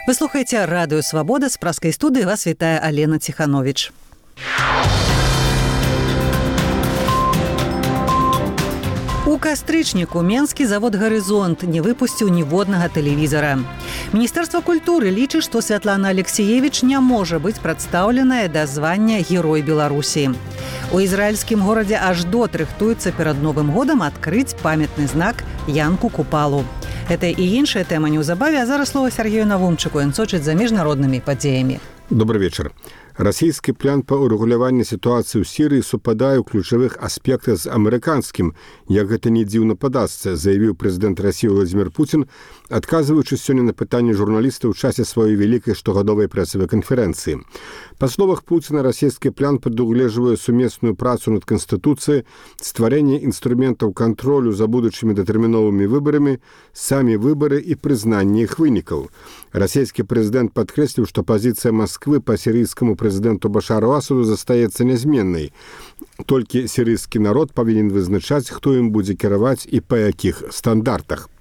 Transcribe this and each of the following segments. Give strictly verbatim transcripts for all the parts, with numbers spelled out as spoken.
Вы слухаеце радыё Свабода, з праскай студыі вас вітае Алена Ціхановіч. У кастрычніку менскі завод «Гарызонт» не выпусціў ніводнага тэлевізара. Міністэрства культуры лічыць, што Святлана Алексеевич не можа быць прадстаўленая да звання Герой Беларусі. У ізраільскім горадзе Аждот рыхтуецца перад Новым годам адкрыць памятны знак Янку Купалу. Гэта і іншая тэма неўзабаве, а зараз слова Сергею Навумчыку, ён сочыць за міжнароднымі падзеямі. Добрый вечер. Расійскі план па урэгуляванні сітуацыі ў Сірыі супадае ў ключавых аспектах з амерыканскім, як гэта не дзіўна падасца, заявіў прэзідэнт Расіі Владзімір Пуцін, адказваючы сёння на пытанні журналістаў у часе сваёй вялікай штогадовай прэсавай канферэнцыі. Па словах Пуціна, расійскі план прадугледжвае сумесную працу над Канстытуцыяй, стварэнне інструментаў кантролю за будучымі датэрміновымі выбарамі, самі выбары і прызнанне іх вынікаў. Расійскі прэзідэнт падкрэсліў, што пазіцыя Масквы па сірыйскаму прэзідэнту Башару Асаду застаецца нязменнай. Толькі сірыйскі народ павінен вызначаць, хто ім будзе кіраваць і па якіх стандартах.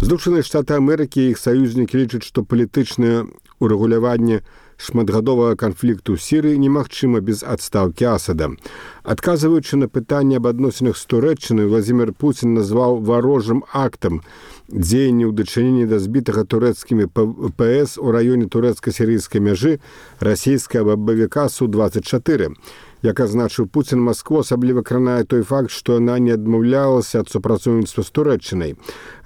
Злучаныя Штаты Амерыкі і іх саюзнікі лічаць, што палітычнае урэгуляванне шматгадовага канфлікту ў Сірыі немагчыма без адстаўкі Асада. Адказваючы на пытанне аб адносінах з Турэччынай, Владзімір Пуцін назваў варожым актам дзеянні ў дачыненні да збітага турэцкімі ПС у раёне турэцка-сірыйскай мяжы расійскага бабавіка Су двадцять чатыры. Як азначыў Пуцін, Маскву асабліва кранае той факт, што яна не адмаўлялася ад супрацоўніцтва з Турэччынай.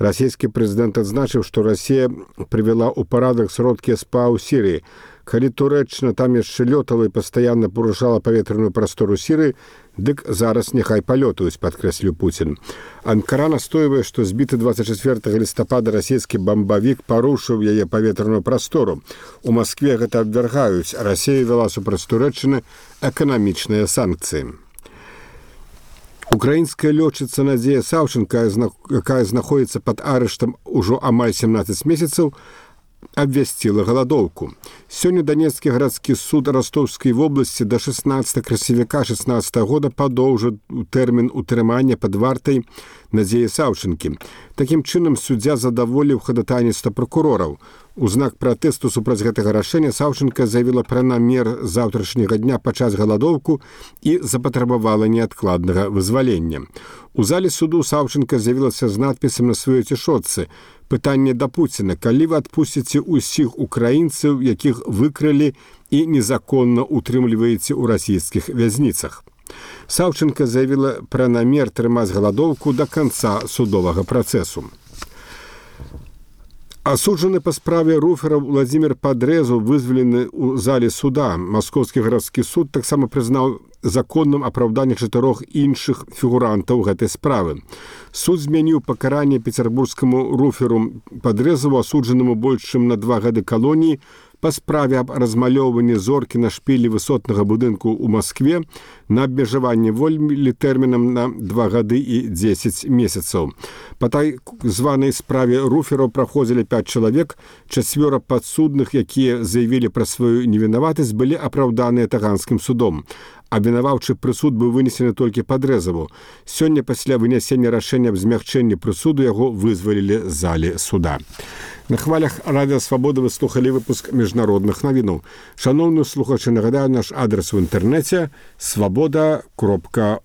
Расійскі прэзідэнт адзначыў, што Расія прывяла ў парадак сродкі СПА ў Сірыі. Калі Турэччына там яшчэ лётала і пастаянна парушала паветраную прастору Сірыі, дык зараз няхай палётаюць, падкрэсліў Пуцін. Анкара настойвае, што збіты двадцять чацвёртага лістапада расійскі бамбавік парушыў яе паветраную прастору. У Маскве гэта абвяргаюць, а Расія вяла супраць Турэччыны эканамічныя санкцыі. Украінская лётчыца Надзея Саўченка, якая знаходзіцца пад арыштам ужо амаль семнаццаць месяцаў, абвясціла галадоўку. Сёння Данецкі гарадскі суд Ростовскай вобласці да шаснаццатага красавіка шаснаццатага года падоўжыў тэрмін утрымання пад вартай Надзеі Саўчэнкі. Такім чынам суддзя задаволіў хадатайніцтва пракурораў. У знак пратэсту супраць гэтага рашэння Саўчэнка заявіла пра намер заўтрашняга дня пачаць галадоўку і запатрабавала неадкладнага вызвалення. У зале суду Саўчэнка з'явілася з надпісам на сваёй цішотцы: «Пытанне да Пуціна, калі вы адпусціце ўсіх украінцаў, якіх выкрылі і незаконна утрымліваеце ў расійскіх вязніцах». Саўчэнка заявіла пра намер трымаць галадоўку да канца судовага працэсу. Асуджаны па справе руфераў Владзімір Падрэзу вызвалены ў зале суда. Маскоўскі гарадскі суд таксама прызнаў законным апраўданне чатырох іншых фігурантаў гэтай справы. Суд змяніў пакаранне пецярбургскаму руферу Падрэзаву, асуджанаму больш чым на два гады калоніі, па справе аб размалёўванні зоркі на шпілі высотнага будынку ў Маскве на абмежаванне волі тэрмінам на два гады і дзесяць месяцаў. Па так званай справе руфераў праходзілі пяць чалавек, чацвёра падсудных, якія заявілі пра сваю невінаватасць, былі апраўданыя таганскім судом. Абвінаваўчы прысуд быў вынесены толькі Падрэзаву. Сёння пасля вынясення рашэння аб змягчэнні прысуду яго вызвалілі з залі суда. На хвалях радыё Свабода вы слухалі выпуск міжнародных навінаў. Шаноўныя слухачы, нагадаю наш адрес у інтэрнэце свабода кропка